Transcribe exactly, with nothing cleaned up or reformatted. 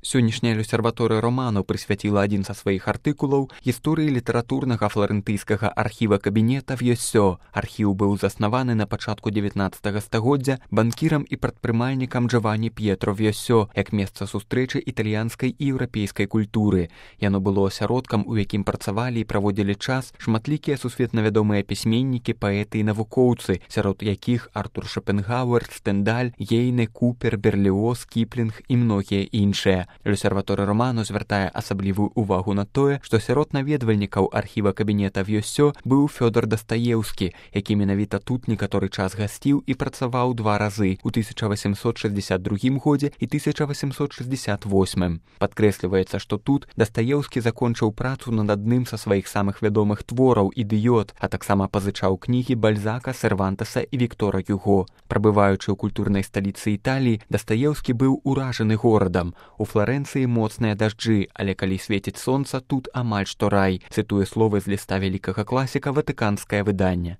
Сённяшняя люсерваторыя роману прысвяціла адзін са сваіх артыкулаў гісторыі літаратурнага фларэнтыйскага архіва кабінета Вьёсё. Архіў быў заснаваны на пачатку дзевятнаццатага стагоддзя банкірам і прадпрымальнікам Джавані П'етро Вьёсё як месца сустрэчы італьянскай і еўрапейскай культуры. Яно было асяродкам, у якім працавалі і праводзілі час шматлікія сусветна вядомыя пісьменнікі, паэты і навукоўцы, сярод якіх Артур Шопенгауэр, Стендаль, Гейне, Купер, Берліоз, Кіплінг і многія іншыя. Люсерваторыя роману звяртае асаблівую увагу на тое, што сярод наведвальнікаў архіва кабінета Вьёсё быў Фёдор Дастаеўскі, які менавіта тут некаторы час гасціў і працаваў два разы у тысяча васемсот шэсцьдзесят другім годзе і тысяча васемсот шэсцьдзесят восьмым. Падкрэсліваецца, што тут Дастаеўскі закончыў працу над адным са сваіх самых вядомых твораў «Ідыёт», а таксама пазычаў кнігі Бальзака, Сервантеса і Віктора Гюго. Прабываючы ў культурнай сталіцы Італіі, Дастаеўскі быў уражаны горадам. У Фларэнцыі моцныя дажджы, але калі свеціць сонца, тут амаль што рай, цытуе словы з ліста вялікага класіка ватыканскае выданне.